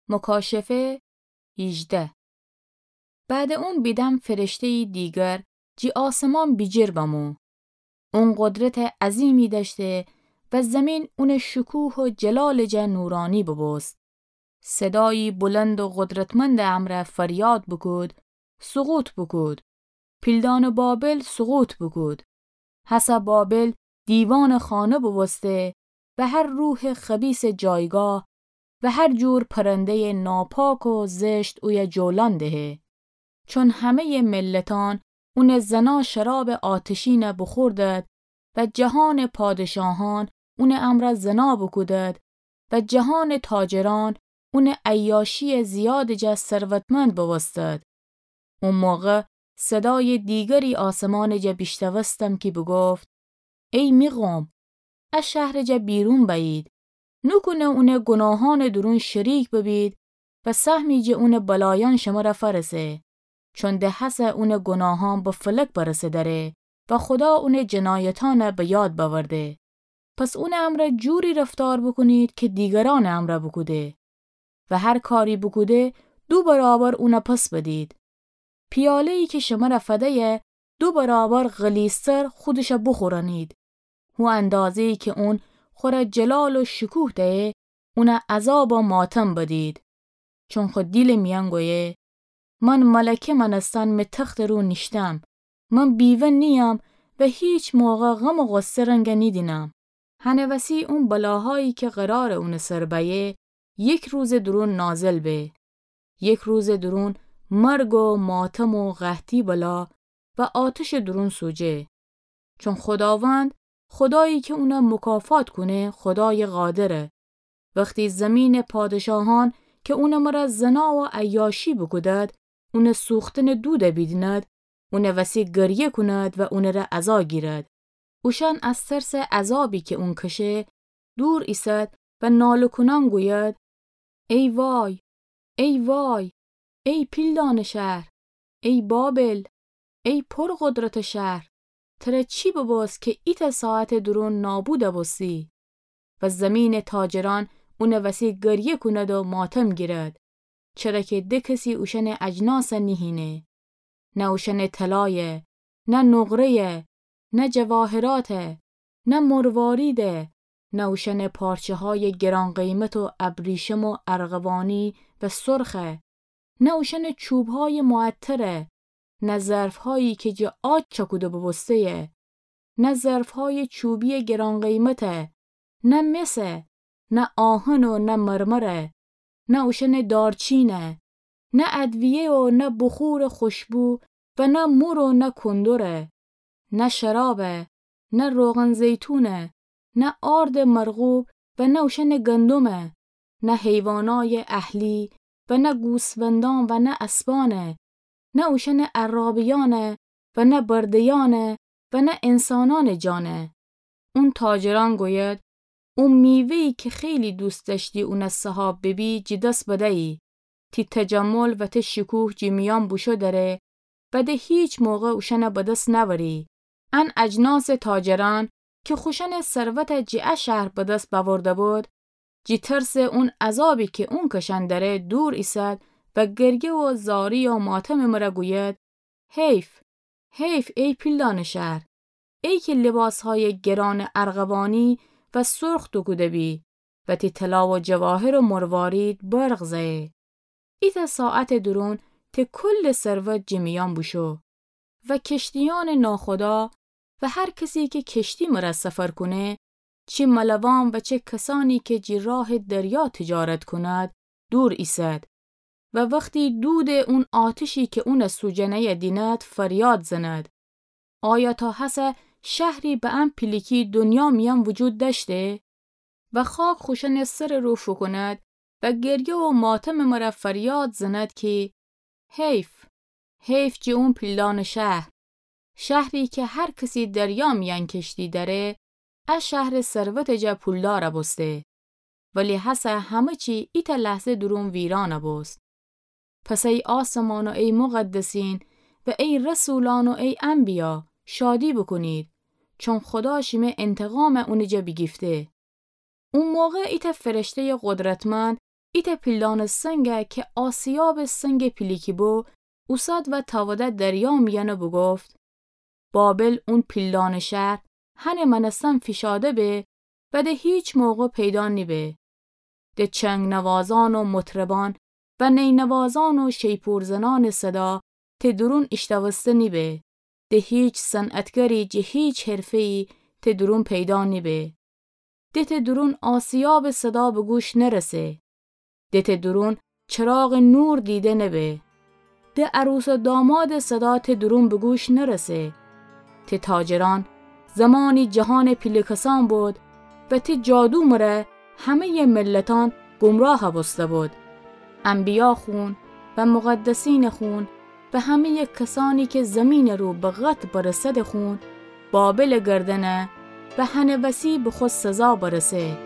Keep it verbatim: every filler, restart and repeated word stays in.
مکاشفه هیجده. بعد اون بیدم فرشته‌یی دیگر جی آسمان بیجیر بمو. اون قدرت عظیمی دأشته و زمین اونٚ شکوه و جلالٚ جا نورانی ببوست. صدایی بلند و قدرتمندٚ امرأ فریاد بوکود: سقوط بوکود! پیلدانٚ بابل سقوط بوکود! هسه بابل دیوانٚ خانه بوبوسته و هر روحٚ خبیثٚ جایگاه و هر جور پرنده‌یٚ ناپاک و زشت اویه جولان دهه. چون همه‌یٚ ملتأن اونٚ زنا شرابٚ آتشینه بوخوردد و جهانٚ پادشاهأن اونٚ امرأ زنا بوکودد و جهانٚ تاجرأن اونٚ عیاشیٚ زیادٚ جا ثروتمند بوبوستد. او موقع صدایٚ دیگری آسمانٚ جا بیشتوستم کی بوگفت: ای می قوم، ا شهرٚ جا بیرون بأیید، نوکونه اونٚ گوناهأنٚ دورون شریک ببید و سهمی جٚه اونٚ بلایأن شمره فأرسه، چون د هسه اونٚ گوناهأن به فلک برسه دأره و خودا اونٚ جنایتأنه به یاد بأورده. پس اونٚ امرأ جوری رفتار بوکونید کی دیگرأنٚ امرأ بوکوده و هر کاری بوکوده دو برابر اونه پس بدید. پیاله‌یی کی شمره فدیه دو برابر غلیظتر خودشه بوخورأنید. هو اندازه‌یی کی اون خوره جلال و شکوه دهه، اونه عذاب و ماتم بدید. چون خو دیلٚ میأن گویه: من ملکه مأنستن می تختٚ رو نیشتم، من بیوه نییم و هیچ موقع غم و غصه رنگه نیدینم. هنه وسی اون بلاهایی کی قراره اونٚ سر بأیه، یک روزٚ دورون نازل به. یک روزٚ دورون مرگ و ماتم و قحطی بلا و آتشٚ دورون سوجه. چون خوداوند، خودایی کی اونه مکافات کونه، خودایٚ قادره. وختی زمینٚ پادشاهأن کی اونٚ مره زنا و عیاشی بوکودد، اونٚ سوختنٚ دوده بیدیند، اونه وسی گریه کونید و اونٚ ره عزا گیرید. اوشأن از ترسٚ عذابی کی اون کشه، دور ایسید و ناله کونأن گوید: ای وای، ای وای، ای پیلدانٚ شهر، ای بابل، ای پرقدرتٚ شهر، تره چی ببوست کی ایتأ ساعتٚ دورون نابود بوستی؟ و زمینٚ تاجرأن اونٚ وسی گریه کونید و ماتم گیرید، چره کی د کسی اوشأنٚ اجناسه نیهینه. نه اوشأنٚ طلایه، نه نقره‌یه، نه جواهراته، نه مرواریده، نه اوشأنٚ پارچه‌هایٚ گران‌قیمت و ابریشم و ارغوانی و سرخه، نه اوشأنٚ چوبهایٚ معطره، نه ظرفهایی کی جٚه عاج چأکوده بوبوسته‌یه، نه ظرفهایٚ چوبیٚ گران‌قیمته، نه مسه، نه آهن و نه مرمره، نه اوشأنٚ دارچینه، نه ادویه و نه بخورٚ خوشبو و نه مور و نه کندره، نه شرابه، نه روغن‌زیتونه، نه آردٚ مرغوب و نه اوشأنٚ گندمه، نه حیوانایٚ اهلی و نه گوسفندأن و نه اسبانه، نه اوشأنٚ عرابه‌یأنه و نه برده‌یأنه و نه انسانأنٚ جانه. اون تاجرأن گوید: او میوه‌یی کی خیلی دوست دأشتی اونه صاحاب ببی، جٚه دس بدیی. تی تجمل و تی شکوه جٚه میأن بوشو دره و د هیچ موقع اوشأنه به دس نأوری. ان اجناسٚ تاجرأن کی خوشأنٚ ثروته جٚه ا شهر به دس بأورده بود، جٚه ترسٚ اون عذابی کی اون کشأن دره دور ایسد و گریه و زاری و ماتمٚ مره گوید: حیف، حیف ای پیلدانٚ شهر، ای کی لباسهایٚ گرانٚ ارغوانی و سرخ دوکوده بی و تی طلا و جواهر و مروارید برق زه‌یه. ایتأ ساعتٚ دورون تی کلٚ ثروت جٚه میأن بوشو. و کشتیأنٚ ناخدا و هر کسی کی کشتی مره سفر کونه، چی ملوان و چه کسأنی کی جٚه راهٚ دریا تجارت کونید، دور ایسد. و وختی دودٚ اون آتشی کی اونه سوجانه‌یه دینید، فریاد زنید: آیا تا هسه شهری به ان پیلیکی دنیا میأن وجود دأشته؟ و خاک خوشأنٚ سرٚ رو فوکونید و گریه و ماتمٚ مره فریاد زنید کی: حیف، حیف جٚه اون پیلدانٚ شهر، شهری کی هر کسی دریا میأن کشتی دأره، ا شهرٚ ثروتٚ جا پولدار بوسته. ولی هسه همه چی ایتأ لحظه دورون ویران بوست. پس ای آسمان و ای مقدسین و ای رسولأن و ای انبیا، شادی بوکونید، چون خودا شیمه انتقام اونٚ جا بیگیفته. او موقع ایتأ فرشته‌یٚ قدرتمند ایتأ پیلدانٚ سنگ کی آسیابٚ سنگٚ پیلیکی بو، اوساد و تاوده دریا میأن و بوگفت: بابل، اون پیلدانٚ شهر، هنٚ مأنستن فیشاده به و د هیچ موقع پیدا نیبه. د چنگ‌نوازأن و مطربأن و نینوازأن و شیپورزنأنٚ صدا ت دورون ایشتأوسته نیبه. د هیچ صنعتگری جٚه هیچ حرفه‌یی ت دورون پیدا نیبه. د ت دورون آسیابٚ صدا به گوش نرسه. د ت دورون چراغٚ نور دیده نبه. د عروس و دامادٚ صدا ت دورون به گوش نرسه. ت تاجرأن زمانی جهانٚ پیله کسأن بود و ت جادو مره همه‌یٚ ملتأن گمراه بوسته بود. انبیا خون و مقدسینٚ خون و همه‌یٚ کسأنی کی زمینٚ رو به قتل برسه‌دٚ خون، بابلٚ گردن و هنٚ وسی به خو سزا برسه.